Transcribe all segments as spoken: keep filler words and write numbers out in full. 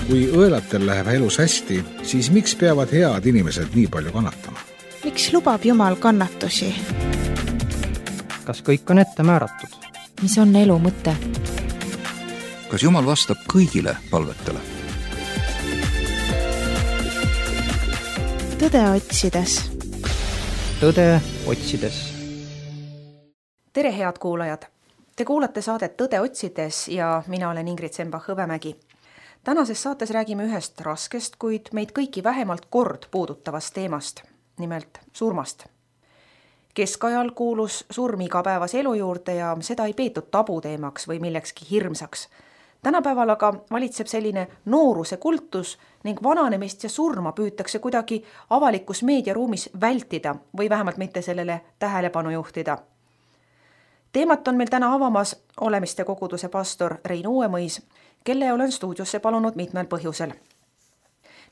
Kui õelatel läheb elus hästi, siis miks peavad head inimesed nii palju kannatama? Miks lubab Jumal kannatusi? Kas kõik on ette määratud? Mis on elu mõte? Kas Jumal vastab kõigile palvetele? Tõde otsides. Tõde otsides. Tere, head kuulajad! Te kuulate saadet Tõde otsides ja mina olen Ingrid Sembach-Hõbemägi. Tänases saates räägime ühest raskest, kuid meid kõiki vähemalt kord puudutavast teemast, nimelt surmast. Keskajal kuulus surm igapäevas elu juurde ja seda ei peetud tabuteemaks või millekski hirmsaks. Tänapäeval aga valitseb selline nooruse kultus ning vananemist ja surma püütakse kuidagi avalikus meediaruumis vältida või vähemalt mitte sellele tähelepanu juhtida. Teemat on meil täna avamas Olemiste koguduse pastor Rein Uuemõis, kelle olen stuudiosse palunud mitmel põhjusel.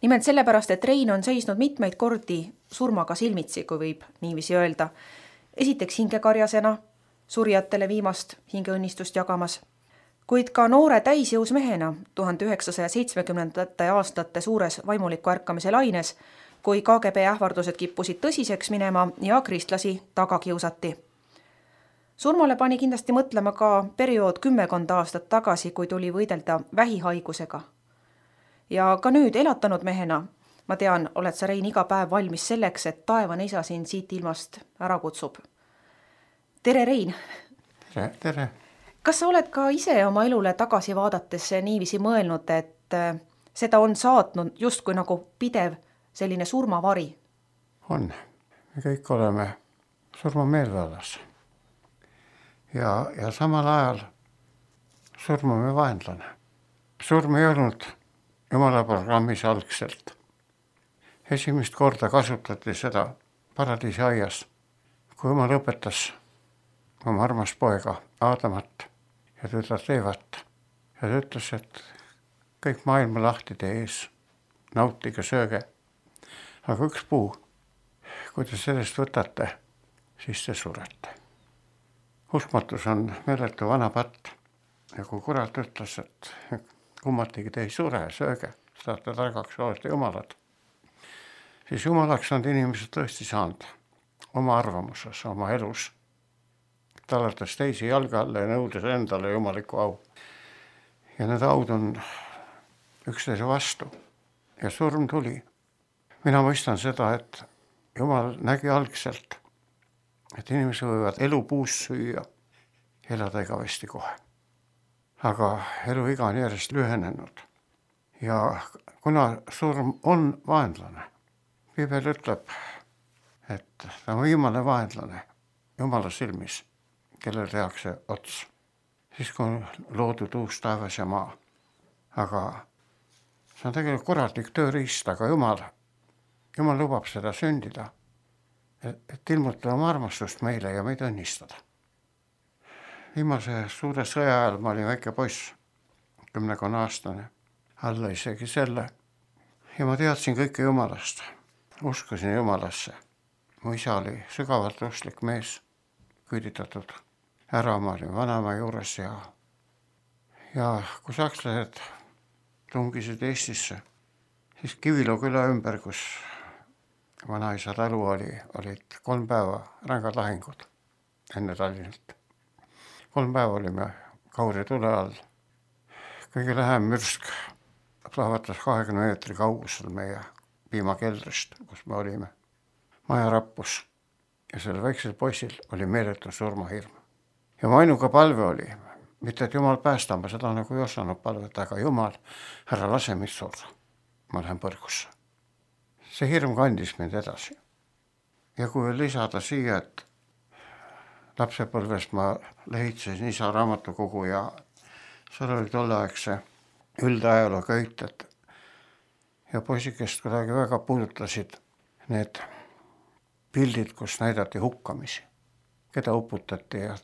Nimelt sellepärast, et Rein on seisnud mitmeid kordi surmaga silmitsi, kui võib niiviisi öelda. Esiteks hingekarjasena, surjatele viimast hingeõnnistust jagamas, kuid ka noore täisjõus mehena tuhande üheksasaja seitsmekümnendate aastate suures vaimuliku ärkamise laines, kui K G B ähvardused kippusid tõsiseks minema ja kristlasi taga kiusati. Surmale pani kindlasti mõtlema ka periood kümmekond aastat tagasi, kui tuli võidelda vähihaigusega. Ja ka nüüd elatanud mehena, ma tean, oled sa, Rein, iga päev valmis selleks, et taevane isa sind siit ilmast ära kutsub. Tere, Rein! Tere, tere! Kas sa oled ka ise oma elule tagasi vaadates niiviisi mõelnud, et seda on saatnud justkui nagu pidev selline surmavari? On. Me kõik oleme surmameelvallas. Ja, ja samal ajal surmame vaenlane. Surm ei olnud Jumala programmis algselt. Esimest korda kasutati seda paradiisi aias, kui Jumal õpetas oma armas poega Aadamat ja tütart Eevat. Ja ta ütles, et kõik maailma lahtide ees, nautige, sööge. Aga üks puu, kui te sellest võtate, siis te surete. Uskmatus on meeletu vana patt ja kui kurat ütles, et kummatigi te ei sure, sööge, saate targaks, olete jumalad, siis jumalaks on inimesed tõesti saanud oma arvamuses, oma elus, tallates teisi jalga alla ja nõudes endale jumaliku au. Ja need aud on üksteise vastu ja surm tuli. Mina mõistan seda, et Jumal nägi algselt, et inimesed võivad elu puus süüa, elada igavesti kohe. Aga elu iga on järjest lühenenud. Ja kuna surm on vaenlane, Piibel ütleb, et ta on viimane vaenlane Jumala silmis, kellel tehakse ots. Siis kui on loodud uus taevas ja maa. Aga see on tegelikult korratlik tööriist, aga Jumal, Jumal lubab seda sündida, et ilmutada oma armastust meile ja meid õnnistada. Viimase suure sõja ajal ma olin väike poiss, kümnekonna aastane, alla isegi selle. Ja ma teadsin kõike Jumalast, uskasin Jumalasse. Mu isa oli sügavalt usklik mees, küüditatud ära, ma olin vanaema juures ja, ja kui sakslased tungisid Eestisse, siis Kiviloo küla ümber, kus vanaisa talu oli, olid kolm päeva rängad lahingud enne Tallinnat. Kolm päeva olime Kauri tule all. Kõige lähem mürsk plahvatas kahekümne meetri kaugusel meie piimakeldrist, kus me olime. Maja rappus ja selle väiksel poisil oli meeletu surmahirm. Ja mu ainuka palve oli, mitte et Jumal päästa, ma seda nagu ei osanud palveta, aga Jumal, ära lase mind surra. Ma lähen põrgusse. See hirm kandis mind edasi. Ja kui lisada siia, et lapsepõlvest ma lehitsesin isa raamatukogu ja seal oli tolleaegse üldajaloo köited ja poisikest kuidagi väga puudutasid need pildid, kus näidati hukkamisi, keda uputati ja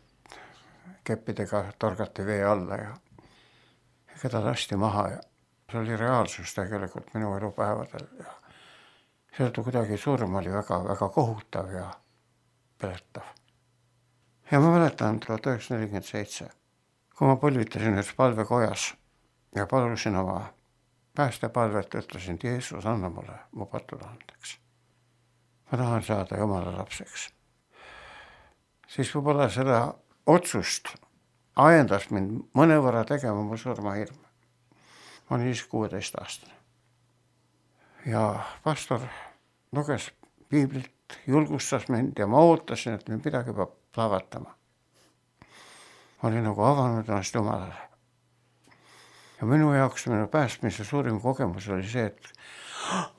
keppidega torgati vee alla ja keda lasti maha ja see oli reaalsus tegelikult minu elupäevadel ja seetõttu kuidagi surm oli väga, väga kohutav ja peletav. Ja ma mäletan tuhat üheksasada nelikümmend seitse, kui ma põlvitasin ühes palvekojas ja palusin oma päästepalvet, ütlesin, et Jeesus, anna mulle mu patud andeks. Ma tahan saada Jumala lapseks. Siis võib-olla seda otsust ajendas mind mõnevõrra tegema mu surmahirm. Ma olin siis kuueteist aastane. Ja pastor luges piiblit, julgustas mind ja ma ootasin, et mind midagi peab plahvatama. Ma olin nagu avanud ennast Jumalale. Ja minu jaoks minu päästmise suurim kogemus oli see, et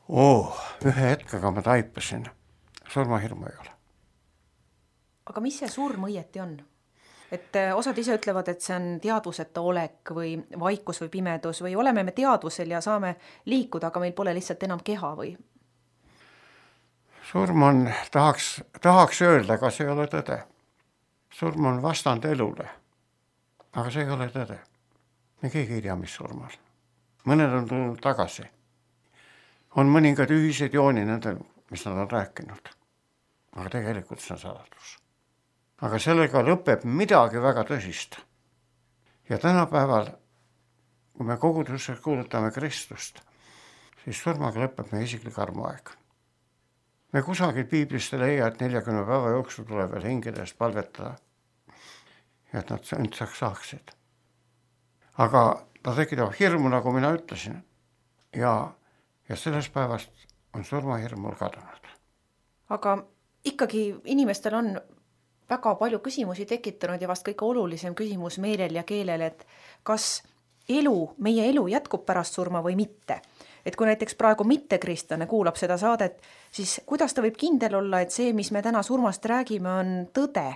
oh, ühe hetkega ma taipasin. Surmahirmu ei ole. Aga mis see surm õieti on? Et osad ise ütlevad, et see on teadvuseta olek või vaikus või pimedus või oleme me teadvusel ja saame liikuda, aga meil pole lihtsalt enam keha või? Surm on, tahaks, tahaks öelda, aga see ei ole tõde. Surm on vastand elule, aga see ei ole tõde. Me keegi ei tea, mis surm on. Mõned on tulnud tagasi. On mõningad ühised jooni nendel, mis nad on rääkinud. Aga tegelikult see on saladus. Aga sellega lõpeb midagi väga tõsist. Ja tänapäeval, kui me koguduses kuulutame Kristust, siis surmaga lõpeb meie isiklik armuaeg. Me kusagil piiblist ei leia, et neljakümne päeva jooksul tuleb veel hingedes palvetada ja et nad õndsaks saaksid. Aga ta tekitab hirmu, nagu mina ütlesin. Ja, ja sellest päevast on surmahirm mul kadunud. Aga ikkagi inimestel on väga palju küsimusi tekitanud ja vast kõige olulisem küsimus meelel ja keelel, et kas elu, meie elu jätkub pärast surma või mitte. Et kui näiteks praegu mittekristlane kuulab seda saadet, siis kuidas ta võib kindel olla, et see, mis me täna surmast räägime, on tõde,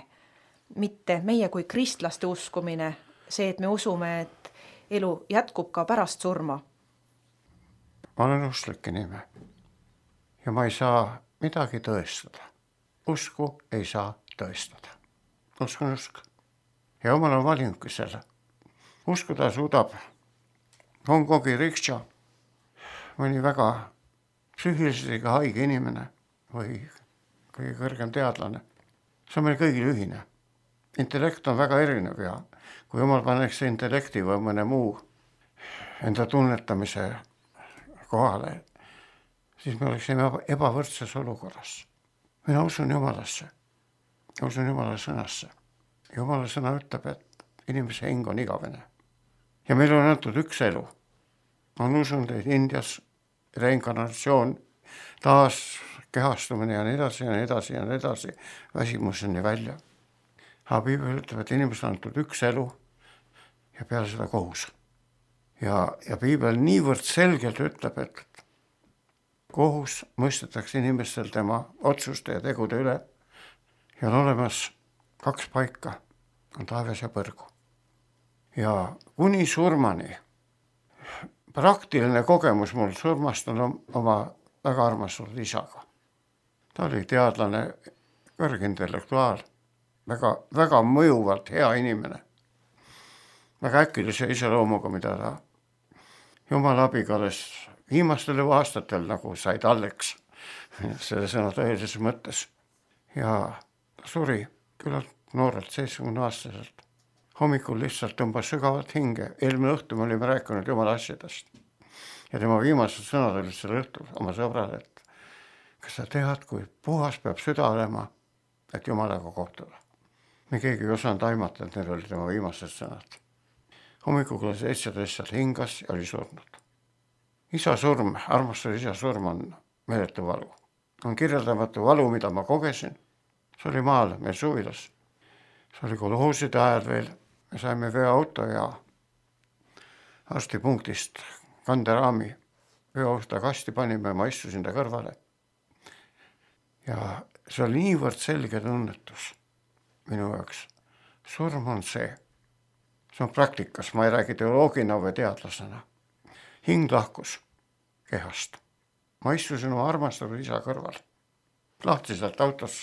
mitte meie kui kristlaste uskumine, see, et me usume, et elu jätkub ka pärast surma? Ma olen usklik inimene ja ma ei saa midagi tõestada. Usku ei saa tõestada. Usk on usk. Ja Jumal on valinudki selle. Uskuda suudab Hongkongi riksha, mõni väga psüühiliselt haige inimene või kõige kõrgem teadlane. See on meil kõigil ühine. Intellekt on väga erinev ja kui Jumal paneks intellekti või mõne muu enda tunnetamise kohale, siis me oleksime ebavõrdses olukorras. Mina usun Jumalasse. Usun Jumala sõnasse. Jumala sõna ütleb, et inimese hing on igavene. Ja meil on antud üks elu. On usunud, et Indias reinkarnatsioon, taas kehastumine ja nii edasi ja nii edasi ja nii edasi, väsimuseni välja. Aga Piibel ütleb, et inimesel on antud üks elu ja peale seda kohus. Ja, ja Piibel niivõrd selgelt ütleb, et kohus mõistetakse inimestel tema otsuste ja tegude üle ja on olemas kaks paika, on taevas ja põrgu. Ja kuni surmani, praktiline kogemus mul surmast on oma väga armastatud isaga. Ta oli teadlane, kõrgintellektuaal, väga, väga mõjuvalt hea inimene, väga äkilise iseloomuga, mida ta Jumala abiga alles viimastel aastatel nagu sai talleks selle sõna tõelises mõttes. Ja ta suri küllalt noorelt, seitsmekümne aastaselt. Hommikul lihtsalt tõmbas sügavalt hinge. Eelmine õhtu me olime rääkinud Jumala asjadest. Ja tema viimased sõnad olid selle õhtul oma sõbrale, et kas sa tead, kui puhas peab süda olema, et Jumalaga kohtuda. Me keegi ei osanud aimata, et need olid tema viimased sõnad. Hommikuga seitseteist seal hingas ja oli surnud. Isa surm, armastus isa surm on meeletu valu. On kirjeldamatu valu, mida ma kogesin. See oli maal, meil suvilas. See oli kolhooside ajal veel. Me saime veoauto ja arstipunktist kanderaami veoauto kasti panime, ma istusin ta kõrvale. Ja see oli niivõrd selge tunnetus minu jaoks. Surm on see. See on praktikas, ma ei räägi teoloogina või teadlasena. Hing lahkus kehast. Ma istusin oma armastatud isa kõrval. Lahtiselt autos.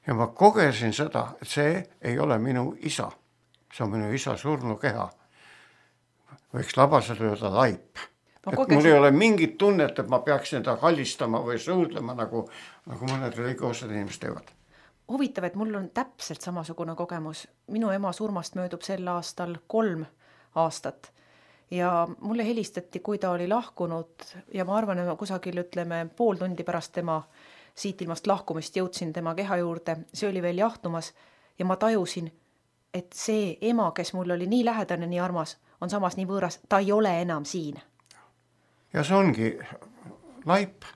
Ja ma kogesin seda, et see ei ole minu isa. See on minu isa surnu keha. Võiks labaselt öelda laip. Kogesin... Mul ei ole mingit tunnet, et ma peaksin ta kallistama või suudlema, nagu, nagu mõned religioossed inimesed teevad. Huvitav, et mul on täpselt samasugune kogemus. Minu ema surmast möödub sel aastal kolm aastat. ja mulle helistati, kui ta oli lahkunud ja ma arvan, et ma kusagil ütleme pool tundi pärast tema siit ilmast lahkumist jõudsin tema keha juurde, see oli veel jahtumas ja ma tajusin, et see ema, kes mul oli nii lähedane, nii armas, on samas nii võõras, ta ei ole enam siin. Ja see ongi laip,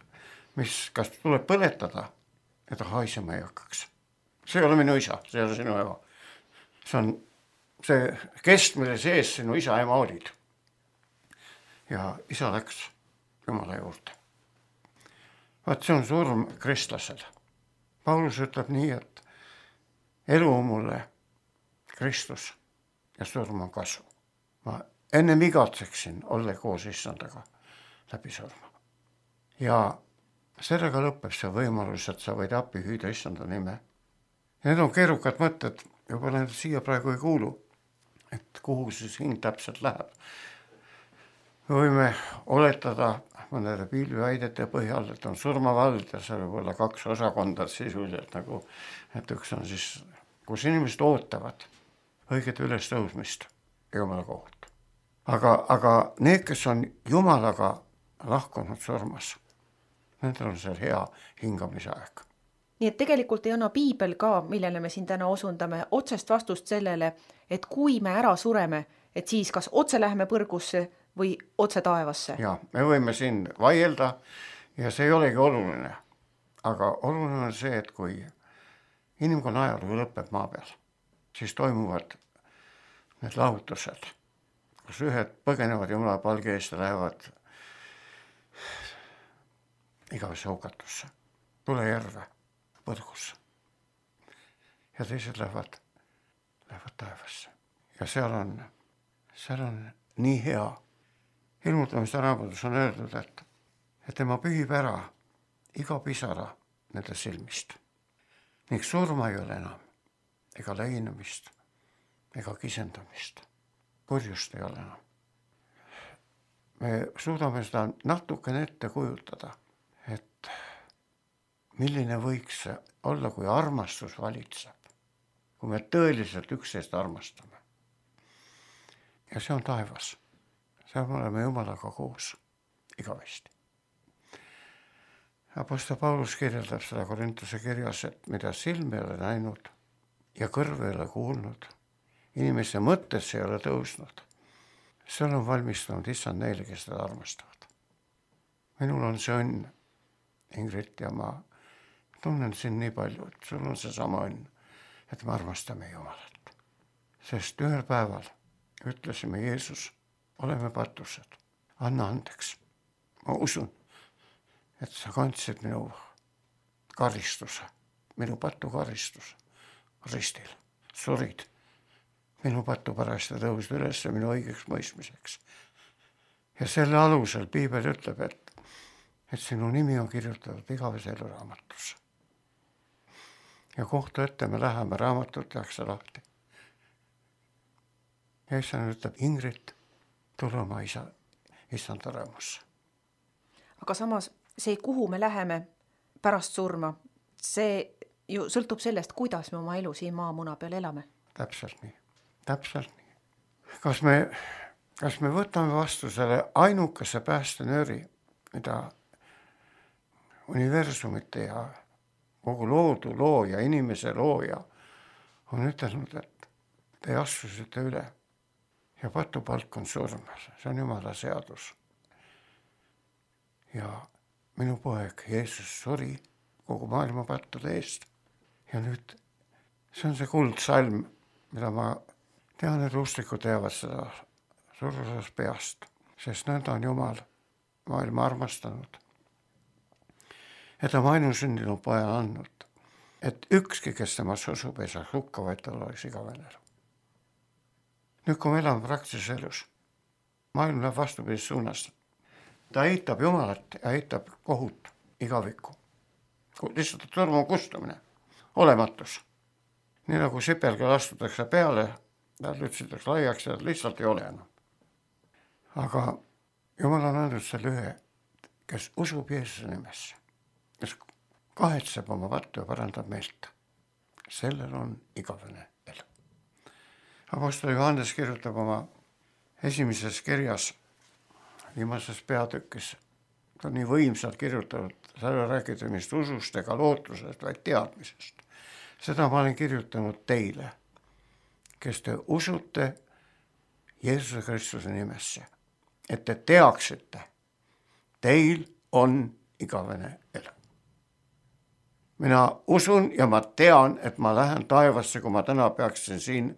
mis kas tuleb põletada, et ta haisema ei hakkaks. See ei ole minu isa, see ei ole sinu ema. See on see kest, mille sees sinu isa ema olid. Ja isa läks Jumala juurde. Vaat see on surm kristlasel. Paulus ütleb nii, et elu on mulle Kristus ja surm on kasu. Ma ennem igatseksin olla koos issandaga läbi surma. Ja sellega lõpeb see võimalus, et sa võid appi hüüda issanda nime. Need on keerukad mõtted, juba need siia praegu ei kuulu, et kuhu siis hing täpselt läheb. Me võime oletada mõnede pilviväidete põhjal, et on surmavald ja see võib olla kaks osakonda sisuliselt, nagu, et üks on siis, kus inimesed ootavad õiget ülestõusmist Jumala kohut. Aga, aga need, kes on Jumalaga lahkunud surmas, nendel on seal hea hingamise aeg. Nii et tegelikult ei anna piibel ka, millele me siin täna osundame, otsest vastust sellele, et kui me ära sureme, et siis kas otse läheme põrgusse või otse taevasse. Ja, me võime siin vaielda ja see ei olegi oluline. Aga oluline on see, et kui inimkonna ajalugu lõpeb maa peal, siis toimuvad need lahutused, kus ühed põgenevad Jumala palge eest ja lähevad igavesse hukatusse, tulejärve, põrgusse. Ja teised lähevad, lähevad taevasse. Ja seal on, seal on nii hea. Ilmutamiste raamatus on öeldud, et, et tema pühib ära iga pisara nende silmist. Ning surma ei ole enam, ega leinamist, ega kisendamist. Kurjust ei ole enam. Me suudame seda natukene ette kujutada, et milline võiks olla, kui armastus valitseb, kui me tõeliselt üksteist armastame. Ja see on taevas. Seal me oleme Jumalaga koos igavesti. Apostel Paulus kirjeldab seda Korintuse kirjas, et mida silm ei ole näinud ja kõrv ei ole kuulnud, inimese mõttes ei ole tõusnud, seal on valmistunud issand neile, kes teda armastavad. Minul on see õnn, Ingrid, ja ma tunnen siin nii palju, et sul on see sama õnn, et me armastame Jumalat. Sest ühel päeval ütlesime Jeesus, oleme patused, anna andeks. Ma usun, et sa kandsid minu karistuse, minu patu karistuse ristil, surid. Minu patu pärast ja tõusid üles minu õigeks mõistmiseks. Ja selle alusel piibel ütleb, et, et sinu nimi on kirjutatud igavese elu raamatusse. Ja kohtu ette me läheme, raamatut tehakse lahti. Ja issand ütleb, Ingrid, tule oma isa, issanda rõõmusse. Aga samas see, kuhu me läheme pärast surma, see ju sõltub sellest, kuidas me oma elu siin maamuna peal elame. Täpselt nii, täpselt nii. Kas me, kas me võtame vastu selle ainukese päästenööri, mida universumite ja kogu loodu looja, inimese looja on ütelnud, et te astusite üle ja patupalk on surm, see on Jumala seadus. Ja minu poeg Jeesus suri kogu maailma pattude eest. Ja nüüd see on see kuldsalm, mida ma tean, et usklikud teavad seda surusas peast, sest nõnda on Jumal maailma armastanud. Et ta ainusündinud poja andnud, et ükski, kes temas usub, ei saa hukka, vaid tal oleks igavene elu. Nüüd, kui me elame praktilises elus, maailm läheb vastupidis suunas. Ta eitab Jumalat ja eitab kohut igavikku. Lihtsalt surma kustumine, olematus. Nii nagu sipelga astutakse peale, ta lütsitakse laiaks ja lihtsalt ei ole enam. Aga Jumal on andnud selle ühe, kes usub Jeesuse nimesse, kes kahetseb oma vattu ja parandab meelt. Sellel on igavene elu. Apostel Johannes kirjutab oma esimeses kirjas, viimases peatükis, ta on nii võimsalt kirjutatud, sa ei räägida mist usust ega lootusest, vaid teadmisest. Seda ma olen kirjutanud teile, kes te usute Jeesuse Kristuse nimesse, et te teaksite, teil on igavene elu. Mina usun ja ma tean, et ma lähen taevasse, kui ma täna peaksin siin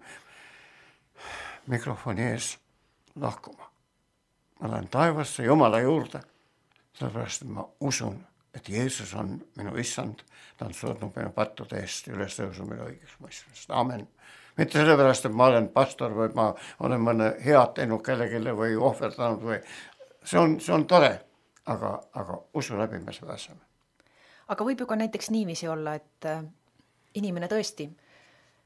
mikrofoni ees lahkuma. Ma lähen taevasse Jumala juurde, sellepärast, et ma usun, et Jeesus on minu issand, ta on surnud minu pattude eest ja üles tõusu minu õigeks mõistmist. Amen. Mitte sellepärast, et ma olen pastor või ma olen mõne head teinud kellegile või ohverdanud või see on, see on tore, aga, aga usu läbi me seda asjame. Aga võib ju ka näiteks niiviisi olla, et inimene tõesti,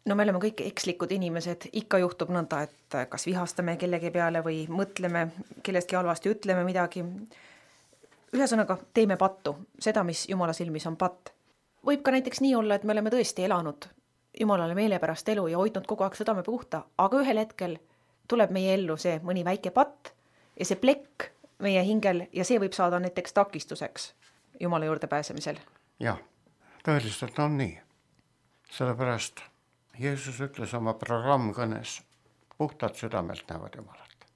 no me oleme kõik ekslikud inimesed, ikka juhtub nõnda, et kas vihastame kellegi peale või mõtleme kellestki halvasti, ütleme midagi. Ühesõnaga, teeme pattu, seda, mis Jumala silmis on patt. Võib ka näiteks nii olla, et me oleme tõesti elanud Jumalale meelepärast elu ja hoidnud kogu aeg südame puhta, aga ühel hetkel tuleb meie ellu see mõni väike patt ja see plekk meie hingel ja see võib saada näiteks takistuseks Jumala juurde pääsemisel. Jah, tõeliselt on nii. Sellepärast Jeesus ütles oma programmkõnes, puhtad südamelt näevad Jumalat.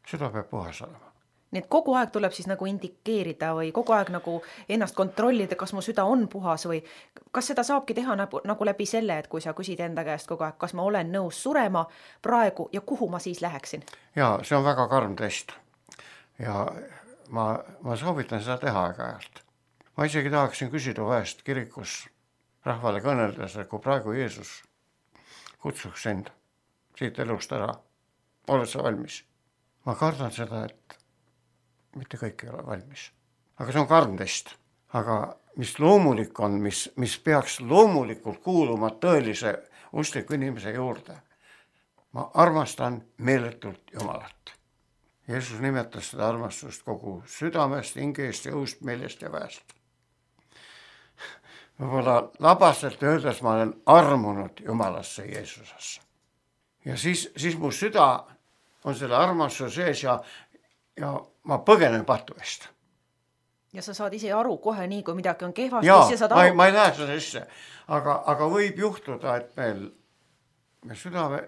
Süda peab puhas olema. Nii et kogu aeg tuleb siis nagu indikeerida või kogu aeg nagu ennast kontrollida, kas mu süda on puhas või kas seda saabki teha nagu, nagu läbi selle, et kui sa küsid enda käest kogu aeg, kas ma olen nõus surema praegu ja kuhu ma siis läheksin? Jaa, see on väga karm test ja ma, ma soovitan seda teha aeg-ajalt. Ma isegi tahaksin küsida vahest kirikus rahvale kõneldes, et kui praegu Jeesus kutsuks sind siit elust ära, oled sa valmis? Ma kardan seda, et mitte kõik ei ole valmis. Aga see on karm test. Aga mis loomulik on, mis, mis peaks loomulikult kuuluma tõelise uskliku inimese juurde. Ma armastan meeletult Jumalat. Jeesus nimetas seda armastust kogu südamest, hingest, jõust, meelest ja väest. Võib-olla labaselt öeldes ma olen armunud Jumalasse Jeesusesse. Ja siis, siis mu süda on selle armastuse sees ja ja ma põgenen patu eest. Ja sa saad ise aru kohe nii, kui midagi on kehvasti. Jaa, saad ma, aru... ma ei näe seda sisse, aga, aga võib juhtuda, et meil, meil südame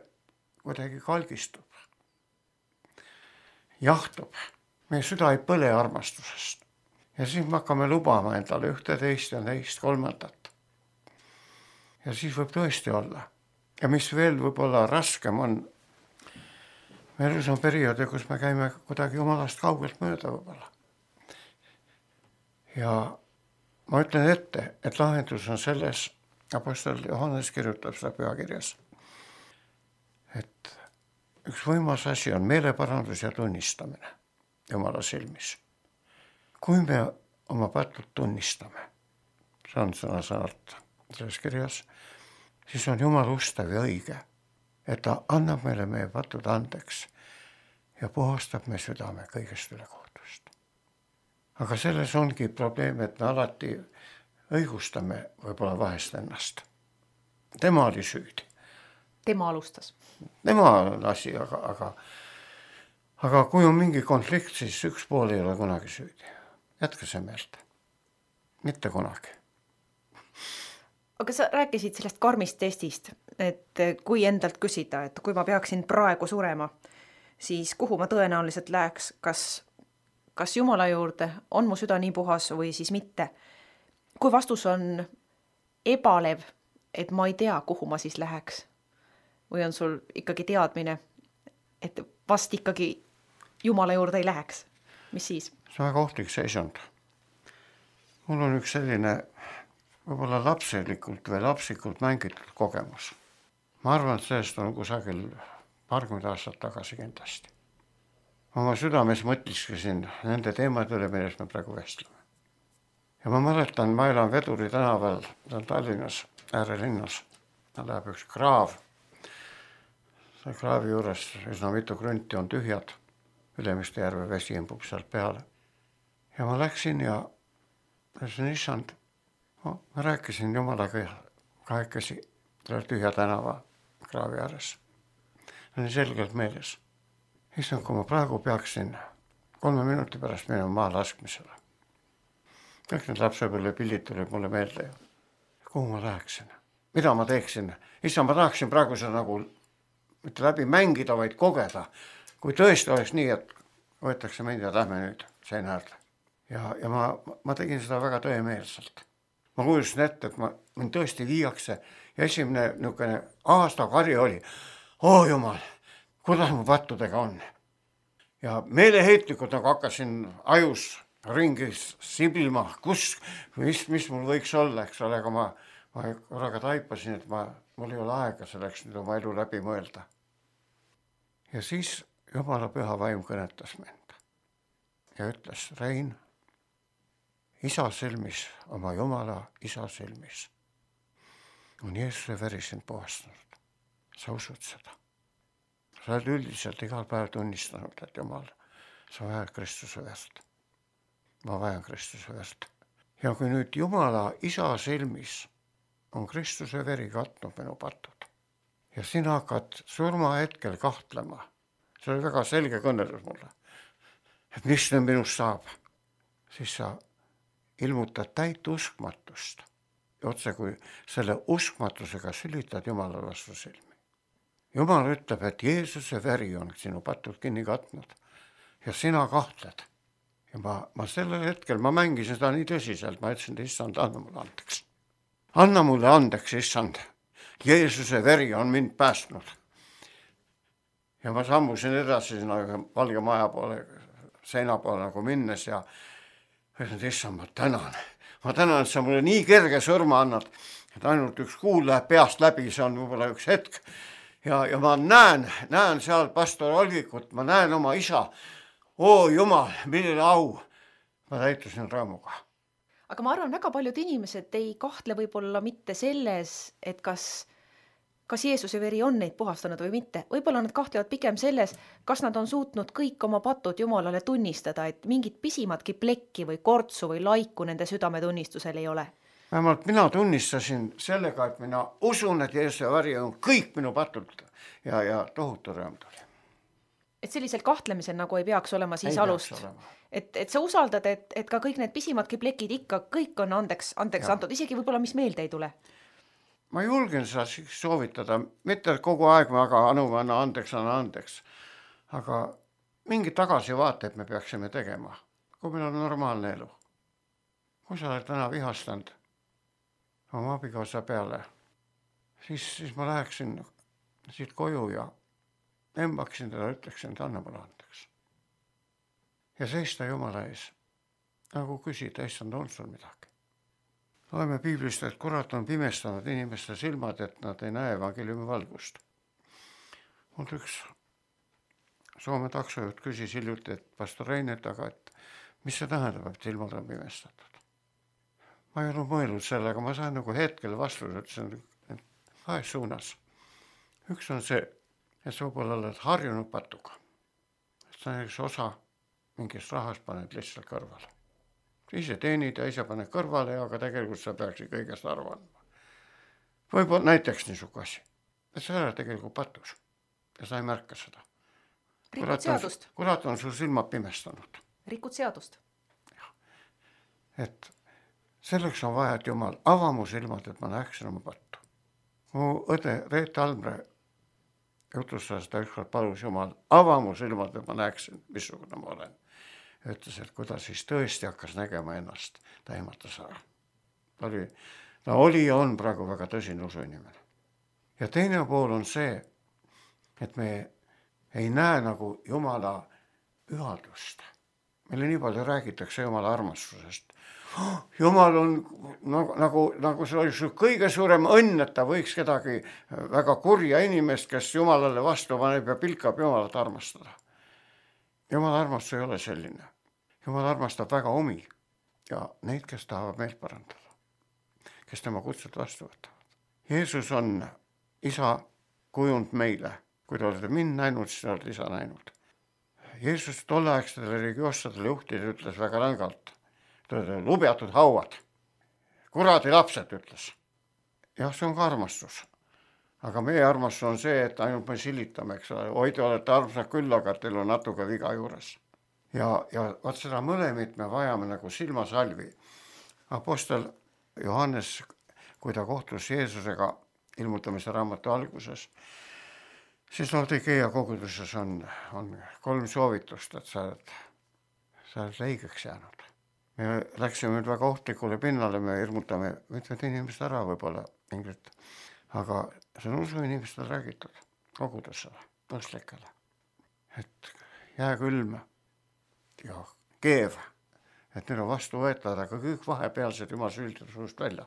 kuidagi kalgistub, jahtub. Meie süda ei põle armastusest. Ja siis me hakkame lubama endale ühte, teist ja teist, kolmandat. Ja siis võib tõesti olla. Ja mis veel võib-olla raskem on, me elus on perioodi, kus me käime kuidagi Jumalast kaugelt mööda võib-olla. Ja ma ütlen ette, et lahendus on selles, apostel Johannes kirjutab seda pühakirjas, et üks võimas asi on meeleparandus ja tunnistamine Jumala silmis. Kui me oma patud tunnistame, see on sõna-sõnalt selles kirjas, siis on Jumal ustav ja õige, et ta annab meile meie patud andeks ja puhastab me südame kõigest üle kohtust. Aga selles ongi probleem, et me alati õigustame võib-olla vahest ennast. Tema oli süüdi. Tema alustas. Tema on asi, aga, aga, aga kui on mingi konflikt, siis üks pool ei ole kunagi süüdi. Jätka see meelt. Mitte kunagi. Aga sa rääkisid sellest karmist testist, et kui endalt küsida, et kui ma peaksin praegu surema, siis kuhu ma tõenäoliselt läheks, kas, kas Jumala juurde, on mu süda nii puhas või siis mitte. Kui vastus on ebalev, et ma ei tea, kuhu ma siis läheks, või on sul ikkagi teadmine, et vast ikkagi Jumala juurde ei läheks, mis siis? See on väga ohtlik seisund. Mul on üks selline võib-olla lapselikult või lapsikult mängitud kogemus. Ma arvan, et sellest on kusagil paarkümmend aastat tagasi kindlasti. Oma südames mõtliskasin nende teemade üle, millest me praegu vestleme. Ja ma mäletan, ma elan Veduri tänaval, ta on Tallinnas, äärelinnas. Ta läheb üks kraav. See kraavi juures üsna mitu krünti on tühjad. Ülemiste järve vesi imbub sealt peale. Ja ma läksin ja ütlesin, issand, ma rääkisin Jumalaga kahekesi tühja tänava kraavi ääres. See on selgelt meeles. issand, kui ma praegu peaksin kolme minuti pärast minema maa laskmisele. Kõik need lapsepõlve pildid tulid mulle meelde. Kuhu ma läheksin? Mida ma teeksin? Issand, ma tahaksin praegu seda nagu mitte läbi mängida, vaid kogeda. Kui tõesti oleks nii, et võetakse meid ja lähme nüüd seina äärde. Ja, ja ma, ma tegin seda väga tõemeelselt. Ma kuulusin ette, et ma, mind tõesti viiakse ja esimene niisugune aastakari oli, oo jumal, kuidas mu pattudega on. Ja meeleheitlikult nagu hakkasin ajus ringis siblima, kus, mis, mis mul võiks olla, eks ole, aga ma, ma korraga taipasin, et ma, mul ei ole aega selleks nüüd oma elu läbi mõelda. Ja siis Jumala püha vaim kõnetas mind ja ütles, Rein, isa silmis, oma Jumala isa silmis on Jeesuse veri sind puhastanud. Sa usud seda. Sa oled üldiselt igal päev tunnistanud, et Jumal, sa vajad Kristuse verd. Ma vajan Kristuse verd. Ja kui nüüd Jumala isa silmis on Kristuse veri katnud minu patud ja sina hakkad surma hetkel kahtlema, see oli väga selge kõnelus mulle, et mis nüüd minust saab, siis sa ilmutad täit uskmatust ja otse kui selle uskmatusega sülitad Jumala vastu silmi. Jumal ütleb, et Jeesuse veri on sinu patud kinni katnud ja sina kahtled. Ja ma, ma sellel hetkel, ma mängisin seda nii tõsiselt, ma ütlesin, et issand, anna mulle andeks. Anna mulle andeks, issand. Jeesuse veri on mind päästnud. Ja ma sammusin edasi sinna valge maja poole, seina poole nagu minnes ja ütlesin, et issand, ma tänan. Ma tänan, et sa mulle nii kerge surma annad, et ainult üks kuul läheb peast läbi, see on võib-olla üks hetk. Ja, ja ma näen, näen seal pastor Olvikut, ma näen oma isa. Oo Jumal, milline au. Ma täitusin rõõmuga. Aga ma arvan, väga paljud inimesed ei kahtle võib-olla mitte selles, et kas, kas Jeesuse veri on neid puhastanud või mitte. Võib-olla nad kahtlevad pigem selles, kas nad on suutnud kõik oma patud Jumalale tunnistada, et mingit pisimatki plekki või kortsu või laiku nende südametunnistusel ei ole. Vähemalt mina tunnistasin sellega, et mina usun, et Jeesuse veri on kõik minu patult ja, ja tohutu rõõm tuli. Et sellisel kahtlemisel nagu ei peaks olema siis ei alust. Et, et sa usaldad, et, et ka kõik need pisimatki plekid ikka kõik on andeks, andeks antud, isegi võib-olla mis meelde ei tule. Ma julgen seda soovitada, mitte kogu aeg ma aga anu, anna andeks, anna andeks. Aga mingi tagasivaateid me peaksime tegema, kui meil on normaalne elu. Kui sa oled täna vihastanud oma abikaasa peale, siis, siis ma läheksin siit koju ja embaksin teda, ütleksin, et anna mulle andeks. Ja seista Jumala ees, nagu küsida, issand, on sul midagi. Loeme piiblist, et kurat on pimestanud inimeste silmad, et nad ei näe evangeeliumi valgust. Mul üks Soome taksojuht küsis hiljuti, et pastor Reinet, aga et mis see tähendab, et silmad on pimestatud? Ma ei ole mõelnud sellega, ma sain nagu hetkel vastus, ütlesin, et kahes suunas. Üks on see, et sa võib-olla oled harjunud patuga. Et sa näiteks osa mingist rahast paned lihtsalt kõrvale. Ise teenid ja ise paned kõrvale, aga tegelikult sa peaksid kõigest arvama. Võib-olla näiteks niisugune asi, et sa oled tegelikult patus ja sa ei märka seda. Rikud seadust. Kurat on sul silmad pimestanud. Rikud seadust. Ja. Et selleks on vaja, et Jumal ava mu silmad, et ma näeksin oma pattu. Mu õde Reet Almre jutustas ta ükskord palus Jumal, ava mu silmad, et ma näeksin, missugune ma olen. Ütles, et kui ta siis tõesti hakkas nägema ennast, ta ehmatas ära. Ta oli, ta oli ja on praegu väga tõsine usuinimene. Ja teine pool on see, et me ei näe nagu Jumala pühadust. Meile nii palju räägitakse Jumala armastusest. Jumal on nagu, nagu, nagu see oli kõige suurem õnn, et ta võiks kedagi väga kurja inimest, kes Jumalale vastu paneb ja pilkab Jumalat armastada. Jumala armastus ei ole selline. Jumal armastab väga omi ja neid, kes tahavad meilt parandada, kes tema kutsut vastu võtavad. Jeesus on isa kujund meile. Kui te olete mind näinud, siis olete isa näinud. Jeesus tolleaegsetele religioossadele juhtide ütles väga rängalt. Te olete lubjatud hauad. Kuradi lapsed ütles. Jah, see on ka armastus. aga meie armastus on see, et ainult me silitame, eks ole, oi, te olete armsad küll, aga teil on natuke viga juures. Ja, ja vaat seda mõlemit me vajame nagu silmasalvi. Apostel Johannes, kui ta kohtus Jeesusega ilmutamise raamatu alguses, siis Laodikeia koguduses on, on kolm soovitust, et sa oled, sa oled leigeks jäänud. Me läksime nüüd väga ohtlikule pinnale, me hirmutame mitmed inimesed ära võib-olla Ingrid, aga see on usu inimestel räägitud kogudusele, tõstlikele, et jää külm ja keev, et need on vastu võetavad, aga kõik vahepealsed jumal süüldab suust välja.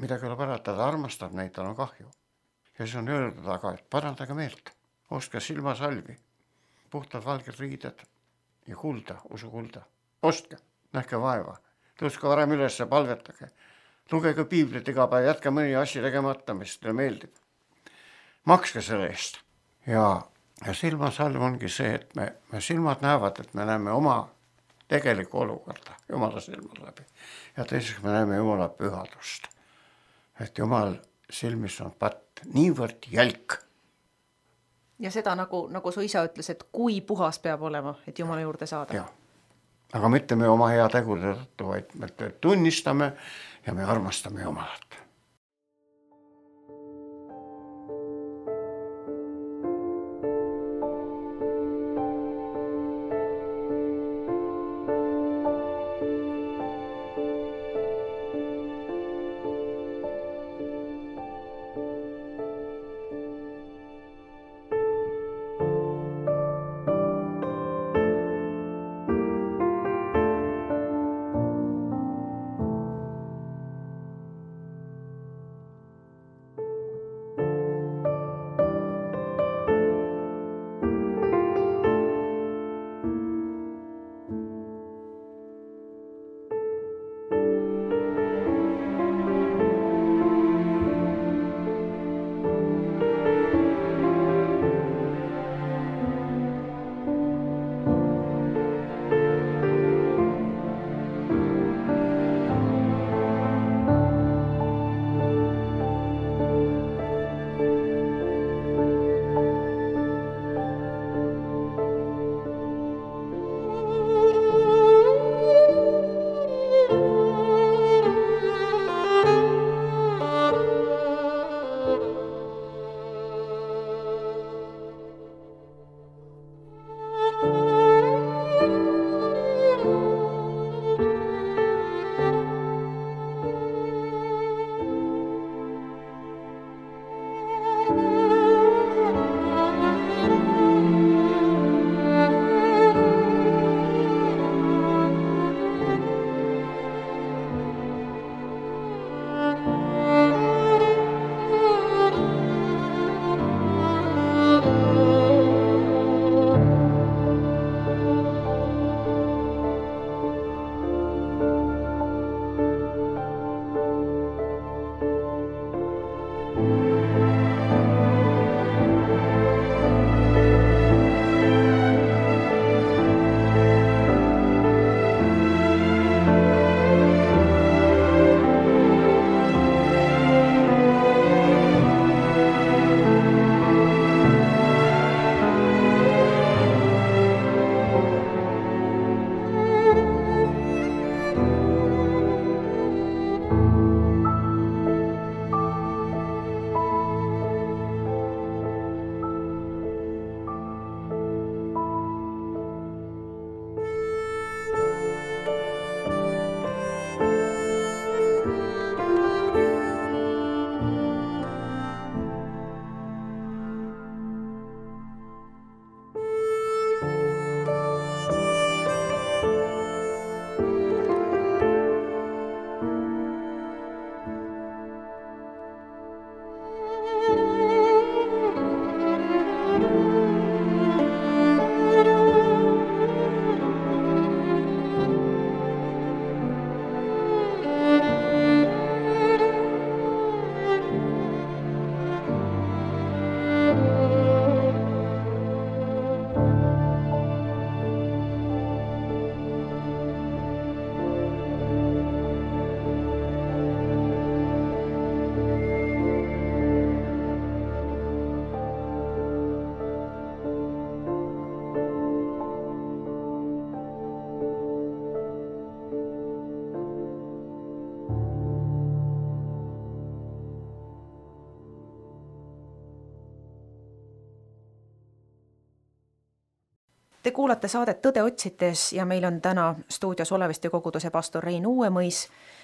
Midagi ei ole parata, ta armastab neid, tal on kahju. Ja siis on öeldud aga, et parandage meelt, ostke silmasalvi, puhtad valged riided ja kulda, usu kulda. Ostke, nähke vaeva, tõuske varem üles ja palvetage. Lugege piiblit iga päev, jätke mõni asja tegemata, mis teile meeldib. Makske selle eest. Ja, ja silmasalv ongi see, et me, me silmad näevad, et me näeme oma tegelikku olukorda Jumala silma läbi. Ja teiseks me näeme Jumala pühadust. Et Jumal silmis on patt niivõrd jälk. Ja seda nagu, nagu su isa ütles, et kui puhas peab olema, et Jumala juurde saada. Ja. Aga mitte me oma hea tegude tõttu, vaid me tunnistame ja me armastame Jumalat. Te kuulate saadet Tõde otsides ja meil on täna stuudios Oleviste koguduse pastor Rein Uuemõis.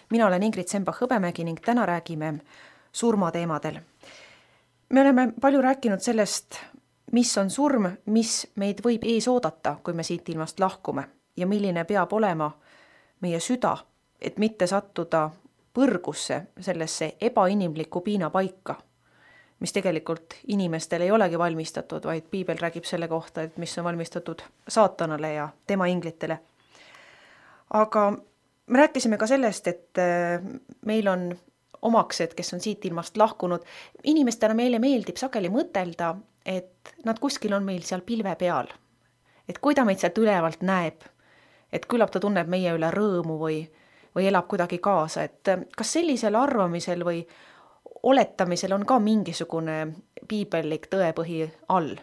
Mina olen Ingrid Sembach-Hõbemägi ning täna räägime surmateemadel. Me oleme palju rääkinud sellest, mis on surm, mis meid võib ees oodata, kui me siit ilmast lahkume ja milline peab olema meie süda, et mitte sattuda põrgusse sellesse ebainimlikku piinapaika, mis tegelikult inimestel ei olegi valmistatud, vaid piibel räägib selle kohta, et mis on valmistatud saatanale ja tema inglitele. Aga me rääkisime ka sellest, et meil on omaksed, kes on siit ilmast lahkunud. Inimestele meile meeldib sageli mõtelda, et nad kuskil on meil seal pilve peal. Et kui ta meid sealt ülevalt näeb, et küllap ta tunneb meie üle rõõmu või, või elab kuidagi kaasa. Et kas sellisel arvamisel või oletamisel on ka mingisugune piibellik tõepõhi all?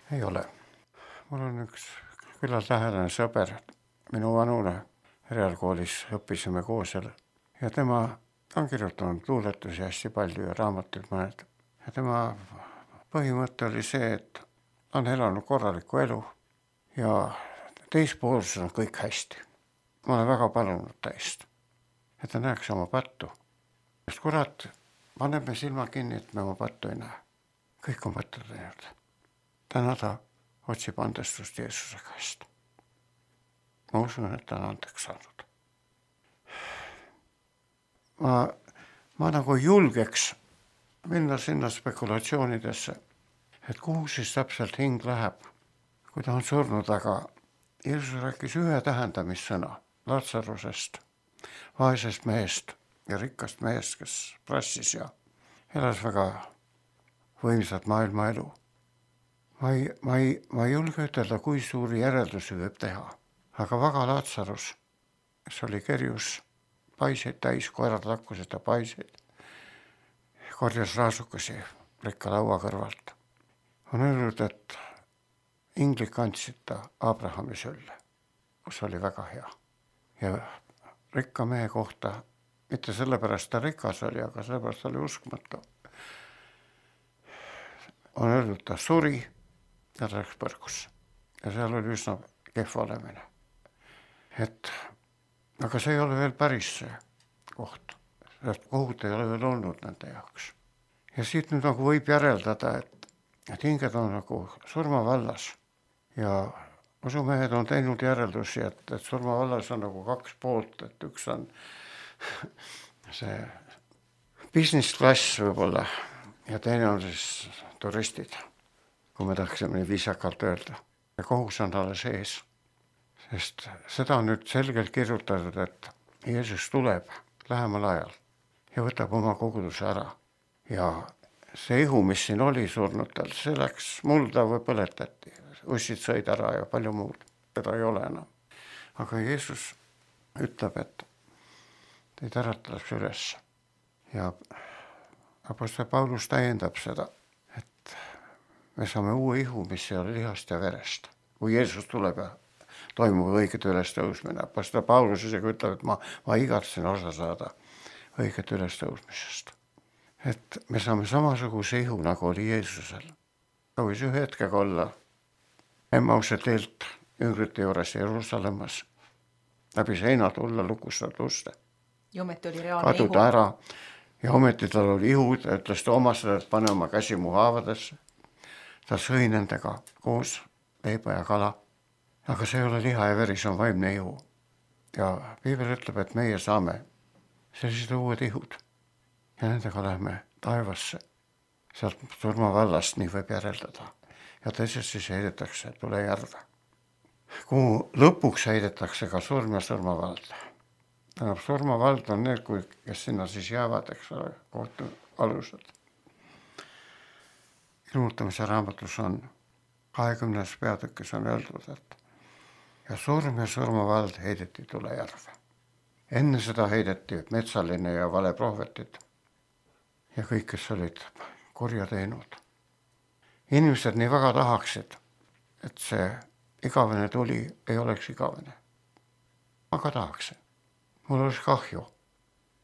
Ei ole. Mul on üks küllalt lähedane sõber, minu vanune reaalkoolis õppisime koos ja tema on kirjutanud luuletusi hästi palju ja raamatuid mõned. Ja tema põhimõte oli see, et on elanud korralikku elu ja teispoolsus on kõik hästi. Ma olen väga palunud täist, et ta näeks oma pattu. Sest kurat, paneb me silma kinni, et me oma pattu ei näe. Kõik on pattu teinud. Täna ta otsib andestust Jeesuse käest. Ma usun, et ta on andeks saanud. Ma, ma nagu julgeks minna sinna spekulatsioonidesse, et kuhu siis täpselt hing läheb, kui ta on surnud, aga Jeesus rääkis ühe tähendamissõna Lazarusest, vaesest mehest ja rikkast mehest, kes prassis ja elas väga võimsat maailma elu. Ma ei, ma ei, ma ei julge ütelda, kui suuri järeldusi võib teha, aga väga Lazarus, kes oli kerjus paiseid täis, koerad lakkusid ta paiseid, korjas raasukasi rikka laua kõrvalt. On öelnud, et inglik andsid ta Abrahami sülle, kus oli väga hea. Ja rikka mehe kohta, mitte sellepärast ta rikas oli, aga sellepärast oli uskmatu. On öelnud, ta suri ja ta läks põrgusse. Ja seal oli üsna kehv olemine. Et, aga see ei ole veel päris see koht. Sest kohut ei ole veel olnud nende jaoks. Ja siit nüüd nagu võib järeldada, et, et hinged on nagu surmavallas. Ja usumehed on teinud järeldusi, et, et surmavallas on nagu kaks poolt, et üks on see business class võib-olla ja teine on siis turistid, kui me tahaksime viisakalt öelda. Ja kohus on talle sees, sest seda on nüüd selgelt kirjutatud, et Jeesus tuleb lähemal ajal ja võtab oma koguduse ära. Ja see ihu, mis siin oli surnutel, see läks mulda või põletati. Ussid sõid ära ja palju muud. Teda ei ole enam. Aga Jeesus ütleb, et teid äratatakse üles. Ja apostel Paulus täiendab seda, et me saame uue ihu, mis ei ole lihast ja verest. Kui Jeesus tuleb ja toimub õiget ülestõusmine. Apostel Paulus isegi ütleb, et ma, ma igatsen osa saada õiget ülestõusmisest. Et me saame samasuguse ihu, nagu oli Jeesusel. Ta võis ühe hetkega olla Emmause teelt üngrite juures Jeruusalemmas, läbi seina tulla lukustada uste. Ja ometi oli reaalne ihu. Kaduda ära ja ometi tal oli ihu, ta ütles Toomasele, et pane oma käsi mu haavadesse. Ta sõi nendega koos leiba ja kala. Aga see ei ole liha ja veri, see on vaimne ihu. Ja piibel ütleb, et meie saame sellised uued ihud. Ja nendega lähme taevasse. Sealt surmavallast nii võib järeldada. Ja teisest siis heidetakse tule järve. Kuhu lõpuks heidetakse ka surm ja surmavald. Tähendab, surmavald on need, kui, kes sinna siis jäävad, eks ole, kohtu alused. Ilmutamise raamatus on kahekümnes peatükis on öeldud, et ja surm ja surmavald heideti tule järve. Enne seda heideti metsaline ja vale prohvetid ja kõik, kes olid kurja teinud. Inimesed nii väga tahaksid, et see igavene tuli ei oleks igavene. Ma ka tahaksin. Mul oleks kahju.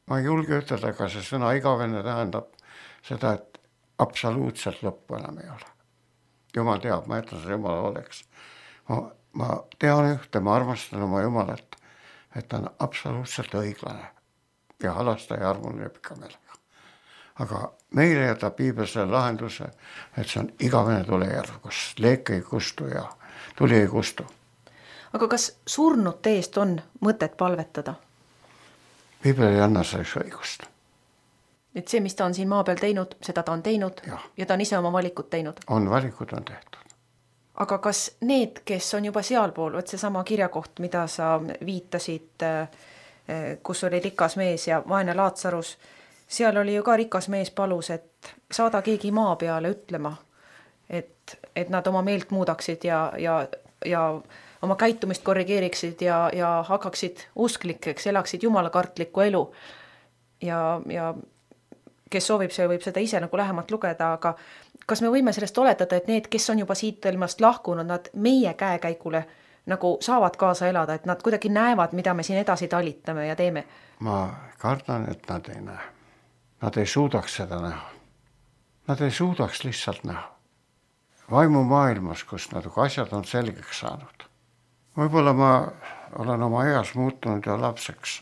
Ma ei julge ütelda, aga see sõna igavene tähendab seda, et absoluutselt lõppu enam ei ole. Jumal teab, ma jätan seda Jumala oleks. Ma ma tean ühte, ma armastan oma Jumalat, et ta on absoluutselt õiglane ja halasta ja armuline pika meelega. Aga meile jätab piibel selle lahenduse, et see on igavene tulejärv, kus leek ei kustu ja tuli ei kustu. Aga kas surnute eest on mõtet palvetada? Piibel ei anna selleks õigust. Et see, mis ta on siin maa peal teinud, seda ta on teinud ja, ja ta on ise oma valikud teinud. On valikud on tehtud. Aga kas need, kes on juba sealpool, võt see sama kirjakoht, mida sa viitasid, kus oli rikas mees ja vaene Laatsarus, seal oli ju ka rikas mees palus, et saada keegi maa peale ütlema, et, et nad oma meelt muudaksid ja, ja, ja oma käitumist korrigeeriksid ja, ja hakkaksid usklikeks, elaksid jumalakartlikku elu. Ja, ja kes soovib, see võib seda ise nagu lähemalt lugeda, aga kas me võime sellest oletada, et need, kes on juba siit ilmast lahkunud, nad meie käekäigule nagu saavad kaasa elada, et nad kuidagi näevad, mida me siin edasi talitame ja teeme? Ma kardan, et nad ei näe. Nad ei suudaks seda näha. Nad ei suudaks lihtsalt näha. Vaimu maailmas, kus nad asjad on selgeks saanud. Võib-olla ma olen oma eas muutunud ja lapseks.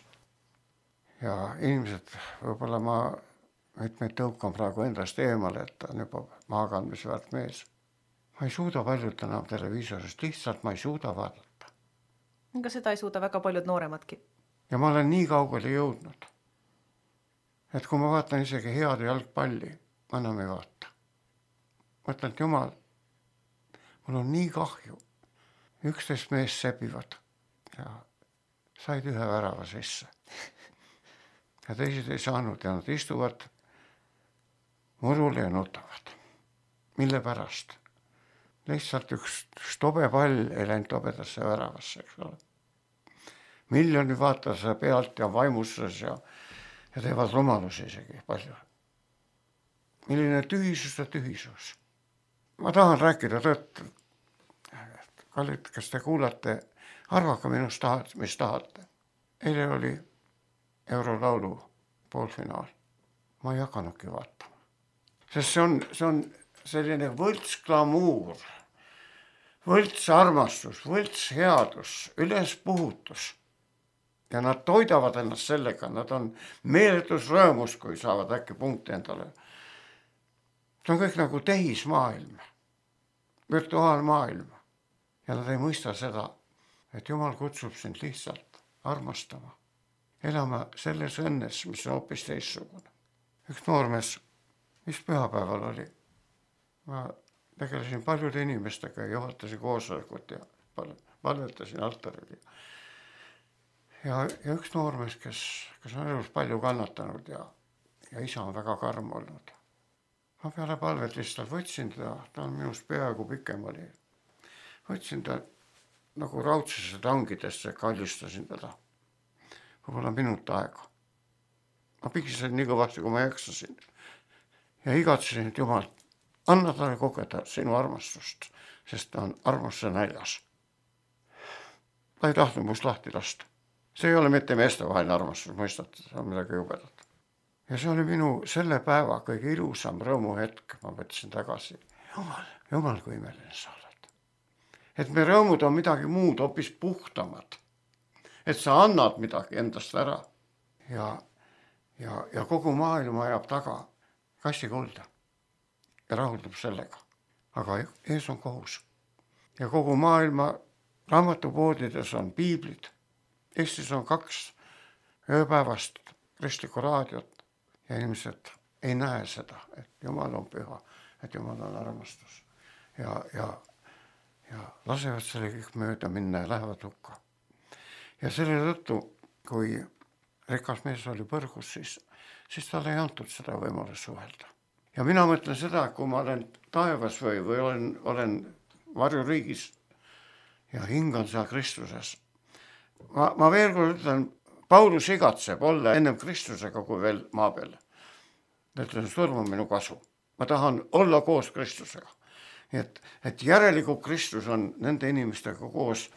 Ja inimesed, võib-olla ma mitmeid tõukan praegu endast eemale, et ta on juba maakandmisväärt mees. Ma ei suuda paljud enam televiisorist, lihtsalt ma ei suuda vaadata. Aga seda ei suuda väga paljud nooremadki. Ja ma olen nii kaugele jõudnud, et kui ma vaatan isegi head jalgpalli, ma enam ei vaata. Ma ütlen, et Jumal, mul on nii kahju. üksteist mees sebivad ja said ühe värava sisse. Ja teised ei saanud ja nad istuvad murule ja nutavad. Mille pärast? Lihtsalt üks tobe pall ei läinud tobedasse väravasse, eks ole. Miljoni vaataja pealt ja vaimuses ja, ja teevad rumalusi isegi palju. Milline tühisus ja tühisus. Ma tahan rääkida tõtt. Kallid, kes te kuulate, arvake minust tahad, mis tahate. Eile oli Eurolaulu poolfinaal. Ma ei hakanudki vaatama. Sest see on, see on selline võlts glamuur, võlts armastus, võlts headus, üles puhutus. Ja nad toidavad ennast sellega, nad on meeletus rõõmus, kui saavad äkki punkti endale. See on kõik nagu tehismaailm, virtuaalmaailm. Ja nad ei mõista seda, et Jumal kutsub sind lihtsalt armastama. Elama selles õnnes, mis on hoopis teissugune. Üks noormees, mis pühapäeval oli. Ma tegelesin paljude inimestega ja juhatasin koosolekut ja palvetasin altaril. Ja, ja üks noormees, kes, kes on elus palju kannatanud ja, ja isa on väga karm olnud. Ma peale palvet lihtsalt võtsin ta, ta on minust peaaegu pikem oli. Võtsin ta nagu raudsesse tangidesse, kallistasin teda. Võib-olla minut aega. Ma pigisin nii kõvasti, kui ma jaksasin. Ja igatsesin, et Jumal, anna talle kogeda sinu armastust, sest ta on armastuse näljas. Ta ei tahtnud must lahti lasta. See ei ole mitte meestevaheline armastus, mõistate, see on midagi jubedat. Ja see oli minu selle päeva kõige ilusam rõõmuhetk, ma võtsin tagasi. Jumal, Jumal, kui imeline sa oled. Et me rõõmud on midagi muud, hoopis puhtamad. Et sa annad midagi endast ära ja, ja, ja kogu maailma ajab taga kassi kulda ja rahuldub sellega. Aga ees on kohus. Ja kogu maailma raamatupoodides on piiblid. Eestis on kaks ööpäevast kristlikku raadiot ja inimesed ei näe seda, et Jumal on püha, et Jumal on armastus. Ja, ja, ja lasevad selle kõik mööda minna ja lähevad hukka. Ja selle tõttu, kui rikas mees oli põrgus, siis, siis talle ei antud seda võimalust suhelda. Ja mina mõtlen seda, kui ma olen taevas või, või olen, olen varjuriigis ja hingan seal Kristuses. Ma, ma veel kord ütlen, Paulus igatseb olla ennem Kristusega kui veel maa peal. Ütlen, surm on minu kasu. Ma tahan olla koos Kristusega. Et, et järelikult Kristus on nende inimestega koos.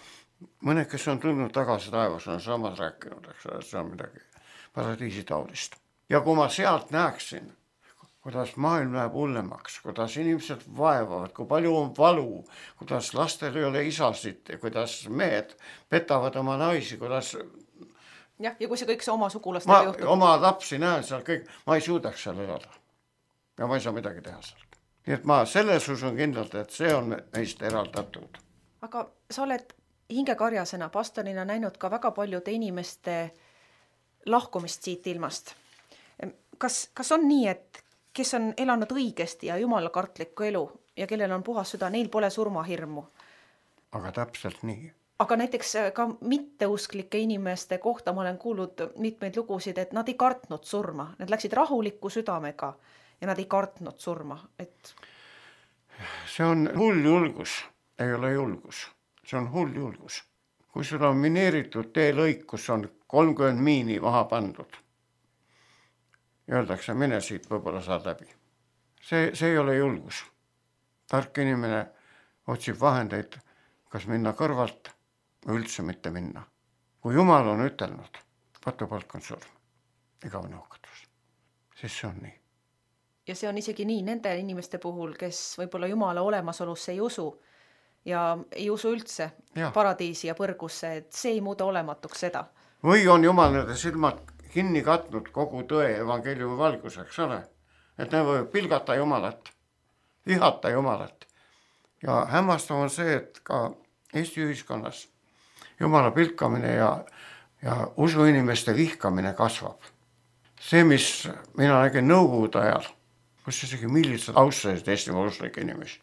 Mõned, kes on tulnud tagasi taevas, on samad rääkinud, eks see on midagi paradiisi taolist. Ja kui ma sealt näeksin, kuidas maailm läheb hullemaks, kuidas inimesed vaevavad, kui palju on valu, kuidas lastel ei ole isasid, kuidas mehed petavad oma naisi, kuidas jah, ja kui see kõik see oma sugulastega ma juhtub. oma lapsi näen seal kõik, ma ei suudaks seal elada. Ja ma ei saa midagi teha sealt. Nii et ma selles usun kindlalt, et see on meist eraldatud. Aga sa oled hingekarjasena pastorina näinud ka väga paljude inimeste lahkumist siit ilmast. Kas, kas on nii, et kes on elanud õigesti ja jumalakartlikku elu ja kellel on puhas süda, neil pole surmahirmu? Aga täpselt nii. Aga näiteks ka mitteusklike inimeste kohta ma olen kuulnud mitmeid lugusid, et nad ei kartnud surma. Nad läksid rahuliku südamega ja nad ei kartnud surma. Et... see on hull julgus, ei ole julgus. See on hull julgus. Kui sul on mineeritud teelõik, kus on kolmkümmend miini maha pandud, öeldakse, mine siit, võib-olla saad läbi. See, see ei ole julgus. Tark inimene otsib vahendeid, kas minna kõrvalt või üldse mitte minna. Kui Jumal on ütelnud, patupalk on surm, igavene hukkatus, siis see on nii. Ja see on isegi nii nende inimeste puhul, kes võib-olla Jumala olemasolusse ei usu ja ei usu üldse ja. Paradiisi ja põrgusse, et see ei muuda olematuks seda. Või on Jumal nende silmad kinni katnud kogu tõe evangeeliumi valguseks, ole? Et ne võib pilgata Jumalat, vihata Jumalat. Ja hämmastav on see, et ka Eesti ühiskonnas Jumala pilkamine ja, ja usuinimeste vihkamine kasvab. See, mis mina nägin Nõukogude ajal, kus isegi millised austasid Eestimaa uslike inimesi,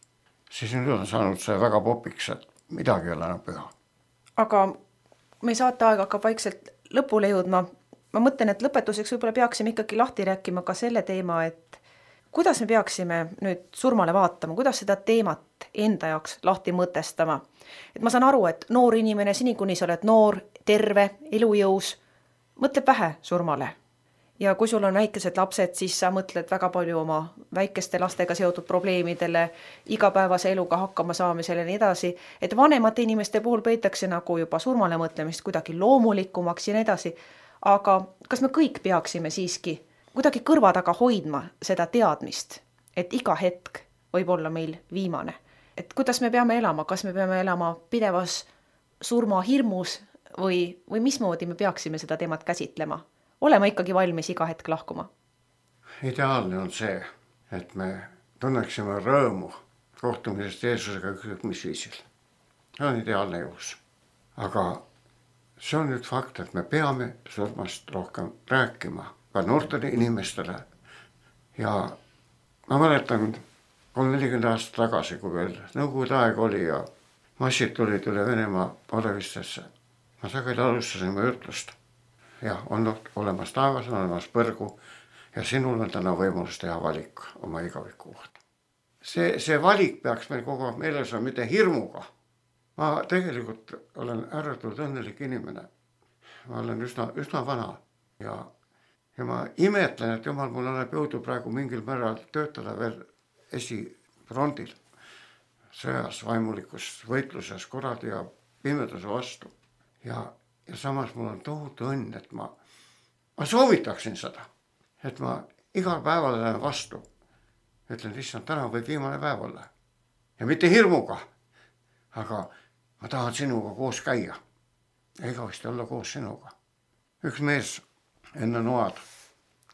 siis nüüd on saanud see väga popiks, et midagi ei ole enam püha. Aga me saate aeg hakkab vaikselt lõpule jõudma. Ma mõtlen, et lõpetuseks võib-olla peaksime ikkagi lahti rääkima ka selle teema, et kuidas me peaksime nüüd surmale vaatama, kuidas seda teemat enda jaoks lahti mõtestama. Et ma saan aru, et noor inimene, seni kuni sa oled noor, terve, elujõus, mõtleb vähe surmale. Ja kui sul on väikesed lapsed, siis sa mõtled väga palju oma väikeste lastega seotud probleemidele, igapäevase eluga hakkama saamisele ja nii edasi, et vanemate inimeste puhul peitakse nagu juba surmale mõtlemist kuidagi loomulikumaks ja nii edasi. Aga kas me kõik peaksime siiski kuidagi kõrva taga hoidma seda teadmist, et iga hetk võib olla meil viimane? Et kuidas me peame elama? Kas me peame elama pidevas surmahirmus või, või mismoodi me peaksime seda teemat käsitlema? Olema ikkagi valmis iga hetk lahkuma? Ideaalne on see, et me tunneksime rõõmu kohtumisest Jeesusega ükskõik mis viisil. See on ideaalne juhus. Aga see on nüüd fakt, et me peame surmast rohkem rääkima ka noortele inimestele. Ja ma mäletan kolm nelikümmend aastat tagasi, kui veel Nõukogude aeg oli ja massid tulid üle Venemaa olevistesse. Ma sageli alustasin mu ütlust. Ja on olemas taevas, on olemas põrgu ja sinul on täna võimalus teha valik oma igaviku kohta. See, see valik peaks meil kogu aeg meeles on mitte hirmuga. Ma tegelikult olen ääretult õnnelik inimene. Ma olen üsna, üsna vana ja, ja ma imetlen, et Jumal mul annab jõudu praegu mingil määral töötada veel esifrondil sõjas, vaimulikus võitluses kuradi ja pimeduse vastu. Ja, ja samas mul on tohutu õnn, et ma, ma soovitaksin seda, et ma igal päeval lähen vastu. Ütlen, issand, täna võib viimane päev olla. Ja mitte hirmuga, aga ma tahan sinuga koos käia. Ja igavesti olla koos sinuga. Üks mees enne noad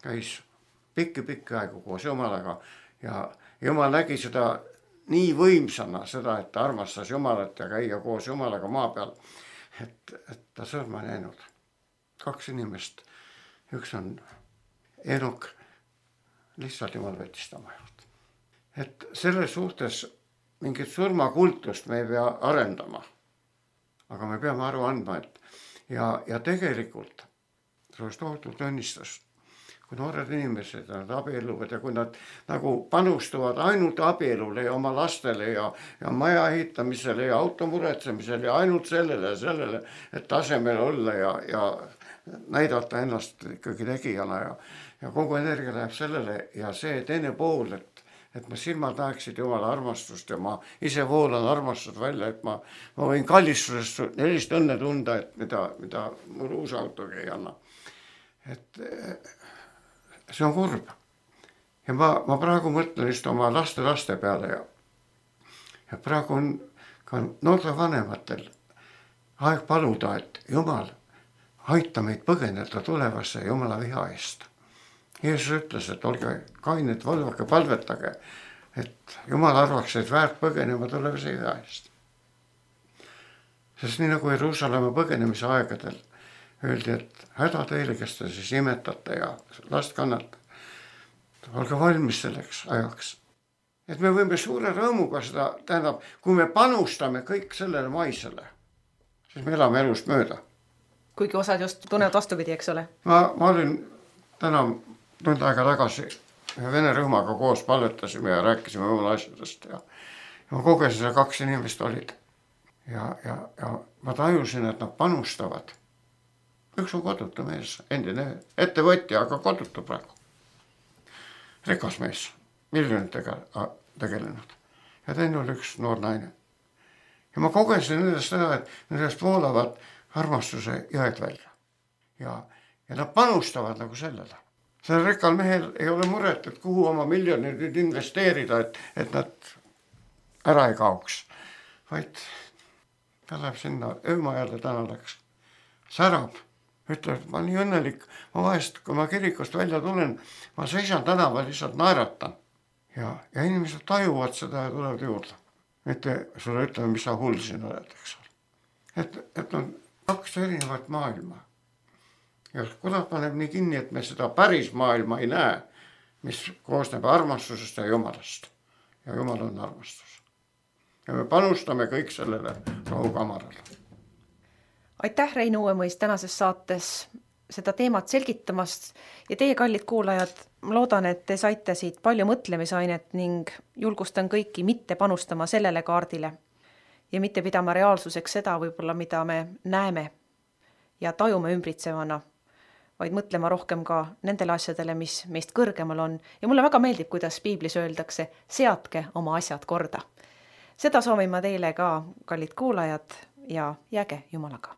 käis pikki-pikki aegu koos Jumalaga ja Jumal nägi seda nii võimsana, seda, et ta armastas Jumalat ja käia koos Jumalaga maa peal, et, et ta sõrma näinud. Kaks inimest, üks on Enok, lihtsalt Jumal võttis ta oma juurde. Et selles suhtes mingit surmakultust me ei pea arendama, aga me peame aru andma, et ja, ja tegelikult see oleks tohutult õnnistust, kui noored inimesed nad abielluvad ja kui nad nagu panustuvad ainult abielule ja oma lastele ja, ja maja ehitamisele ja auto muretsemisele ja ainult sellele ja sellele, et tasemel olla ja, ja näidata ennast ikkagi tegijana ja, ja kogu energia läheb sellele ja see teine pool, et et ma silmad näeksid Jumala armastust ja ma ise voolan armastust välja, et ma, ma võin kallistusest sellist õnne tunda, et mida, mida mul uus autogi ei anna. Et see on kurb. ja ma, ma praegu mõtlen just oma laste laste peale ja, ja praegu on ka noorte vanematel aeg paluda, et Jumal, aita meid põgeneda tulevasse Jumala viha eest. Jeesus ütles, et olge kained, valvake, palvetage, et Jumal arvaks, et väärt põgenema tulevase viha eest. Sest nii nagu Jeruusalemma põgenemise aegadel öeldi, et häda teile, kes te siis imetate ja last kannate. Olge valmis selleks ajaks. Et me võime suure rõõmuga seda, tähendab, kui me panustame kõik sellele maisele, siis me elame elust mööda. Kuigi osad just tunnevad vastupidi, eks ole? Ma, ma olin täna tund aega tagasi ühe vene rühmaga koos palvetasime ja rääkisime jumala asjadest ja, ja ma kogesin, et kaks inimest olid. Ja, ja, ja ma tajusin, et nad panustavad. Üks on kodutu mees, endine ettevõtja, aga kodutu praegu. Rikas mees, miljonitega tegelenud. Ja teine oli üks noor naine. Ja ma kogesin nendest seda, et nendest voolavad armastuse jõed välja. Ja, ja nad panustavad nagu sellele. Sellel rikkal mehel ei ole muret, et kuhu oma miljonid nüüd investeerida, et, et nad ära ei kaoks. Vaid ta läheb sinna öömajale, täna läks. Särab, ütleb, ma nii õnnelik. Ma vahest, kui ma kirikust välja tulen, ma seisan tänaval, lihtsalt naeratan. Ja, ja inimesed tajuvad seda ja tulevad juurde. Mitte sulle ütleme, mis sa hull siin oled, eks ole. Et, et on kaks erinevat maailma. Ja kuidas paneb nii kinni, et me seda päris maailma ei näe, mis koosneb armastusest ja Jumalast. Ja Jumal on armastus. Ja me panustame kõik sellele rahukamarale. Aitäh, Rein Uuemõis, tänases saates seda teemat selgitamast ja teie, kallid kuulajad, ma loodan, et te saite siit palju mõtlemisainet ning julgustan kõiki mitte panustama sellele kaardile ja mitte pidama reaalsuseks seda võib-olla, mida me näeme ja tajume ümbritsevana, vaid mõtlema rohkem ka nendele asjadele, mis meist kõrgemal on. Ja mulle väga meeldib, kuidas piiblis öeldakse, seadke oma asjad korda. Seda soovin ma teile ka, kallid kuulajad, ja jääge Jumalaga.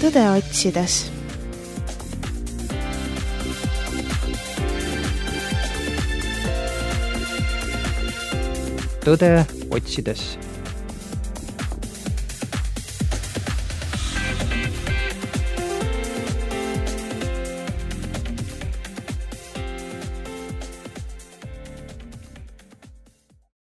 tõde otsides. Tõde otsides.